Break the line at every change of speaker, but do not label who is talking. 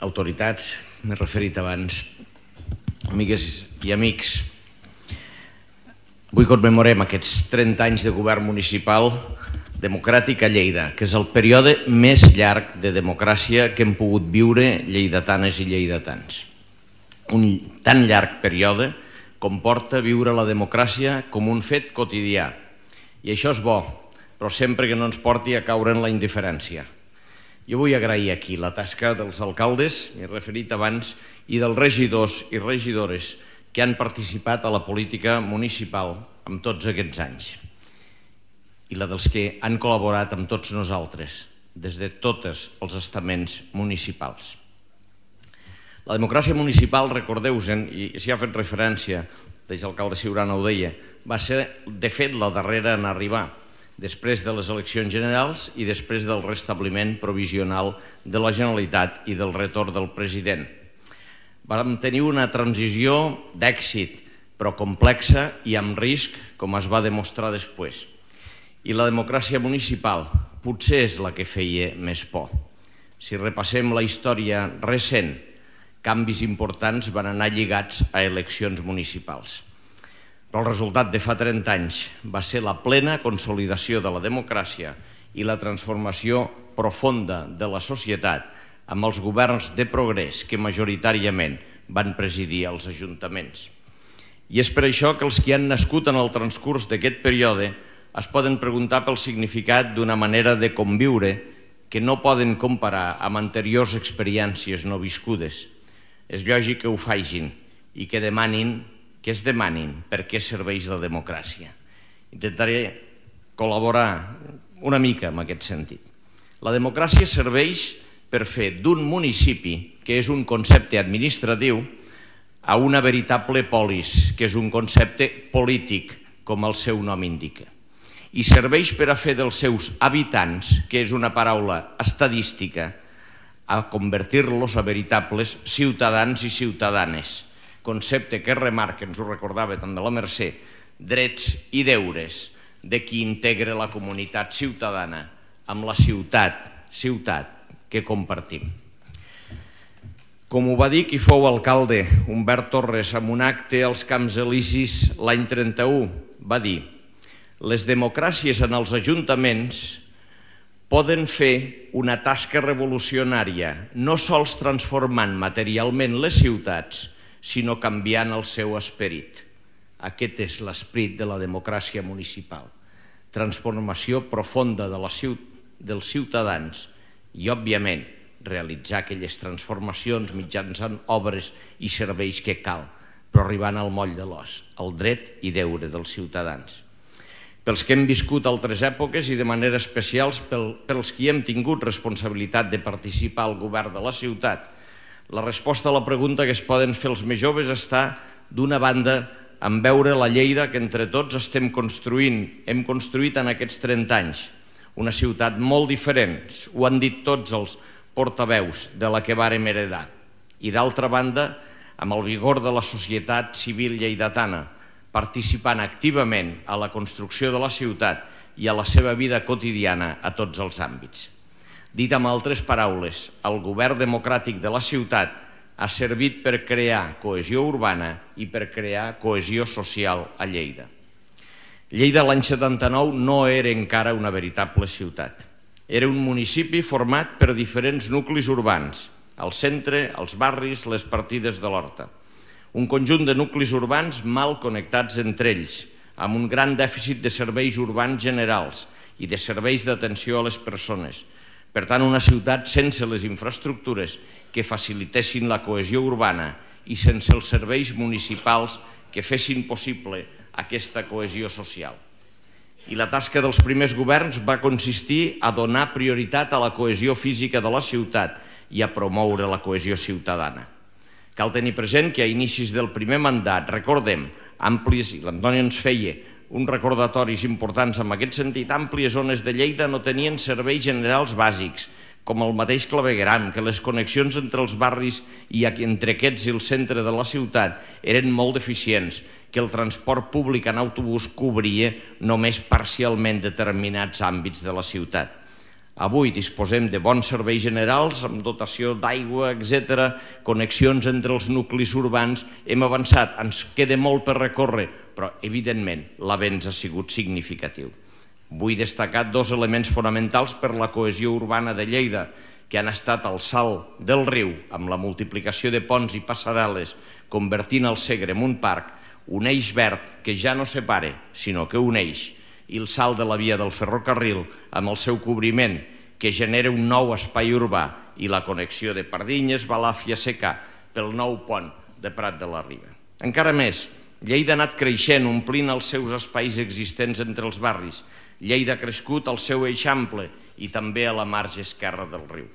autoritats, m'he referit abans, amigues i amics. Avui commemorem aquests 30 anys de govern municipal democràtic a Lleida, que és el període més llarg de democràcia que hem pogut viure lleidatanes i lleidatans. Un tan llarg període comporta viure la democràcia com un fet quotidià. I això és bo, però sempre que no ens porti a caure en la indiferència. Jo vull agrair aquí la tasca dels alcaldes, m'he referit abans, i dels regidors i regidores que han participat a la política municipal en tots aquests anys. I la dels que han col·laborat amb tots nosaltres, des de tots els estaments municipals. La democràcia municipal, recordeu-se'n, i s'hi ha fet referència, l'exalcalde Ciurana ho deia, va ser de fet la darrera en arribar, després de les eleccions generals i després del restabliment provisional de la Generalitat i del retorn del president. Vam tenir una transició d'èxit, però complexa i amb risc, com es va demostrar després. I la democràcia municipal potser és la que feia més por. Si repassem la història recent, canvis importants van anar lligats a eleccions municipals. Però el resultat de fa 30 anys va ser la plena consolidació de la democràcia i la transformació profunda de la societat amb els governs de progrés que majoritàriament van presidir els ajuntaments. I és per això que els que han nascut en el transcurs d'aquest període es poden preguntar pel significat d'una manera de conviure que no poden comparar amb anteriors experiències no viscudes. És lògic que ho facin i que es demanin per què serveix la democràcia. Intentaré col·laborar una mica en aquest sentit. La democràcia serveix per fer d'un municipi, que és un concepte administratiu, a una veritable polis, que és un concepte polític, com el seu nom indica. I serveix per a fer dels seus habitants, que és una paraula estadística, a convertir-los a veritables ciutadans i ciutadanes, concepte que remarca, ens ho recordava també la Mercè, drets i deures de qui integra la comunitat ciutadana amb la ciutat que compartim. Com ho va dir qui fou alcalde, Humbert Torres, en un acte als Camps Elisis l'any 31, va dir: les democràcies en els ajuntaments poden fer una tasca revolucionària, no sols transformant materialment les ciutats, sinó canviant el seu esperit. Aquest és l'esperit de la democràcia municipal. Transformació profunda dels ciutadans i, òbviament, realitzar aquelles transformacions mitjançant obres i serveis que cal, però arribant al moll de l'os, el dret i deure dels ciutadans. Pels que hem viscut altres èpoques i de manera especial pels que hem tingut responsabilitat de participar al govern de la ciutat, la resposta a la pregunta que es poden fer els més joves està, d'una banda, en veure la Lleida que entre tots estem construint, hem construït en aquests 30 anys, una ciutat molt diferent, ho han dit tots els portaveus de la que vàrem heredar, i d'altra banda, amb el vigor de la societat civil lleidatana, participant activament a la construcció de la ciutat i a la seva vida quotidiana a tots els àmbits. Dit amb altres paraules, el govern democràtic de la ciutat ha servit per crear cohesió urbana i per crear cohesió social a Lleida. Lleida l'any 79 no era encara una veritable ciutat. Era un municipi format per diferents nuclis urbans, el centre, els barris, les partides de l'Horta. Un conjunt de nuclis urbans mal connectats entre ells, amb un gran dèficit de serveis urbans generals i de serveis d'atenció a les persones. Per tant, una ciutat sense les infraestructures que facilitessin la cohesió urbana i sense els serveis municipals que fessin possible aquesta cohesió social. I la tasca dels primers governs va consistir a donar prioritat a la cohesió física de la ciutat i a promoure la cohesió ciutadana. Cal tenir present que a inicis del primer mandat, recordem, amplis, i l'Antoni ens feia uns recordatoris importants en aquest sentit, àmplies zones de Lleida no tenien serveis generals bàsics, com el mateix clavegueram, que les connexions entre els barris i entre aquests i el centre de la ciutat eren molt deficients, que el transport públic en autobús cobria només parcialment determinats àmbits de la ciutat. Avui disposem de bons serveis generals, amb dotació d'aigua, etc., connexions entre els nuclis urbans. Hem avançat, ens queda molt per recórrer, però, evidentment, l'avenç ha sigut significatiu. Vull destacar dos elements fonamentals per la cohesió urbana de Lleida, que han estat el salt del riu, amb la multiplicació de ponts i passarel·les, convertint el Segre en un parc, un eix verd que ja no separa, sinó que uneix, i el salt de la via del ferrocarril amb el seu cobriment, que genera un nou espai urbà, i la connexió de Pardinyes, Balàfia, Secà, pel nou pont de Prat de la Riba. Encara més, Lleida ha anat creixent, omplint els seus espais existents entre els barris. Lleida ha crescut al seu eix ample i també a la marge esquerra del riu.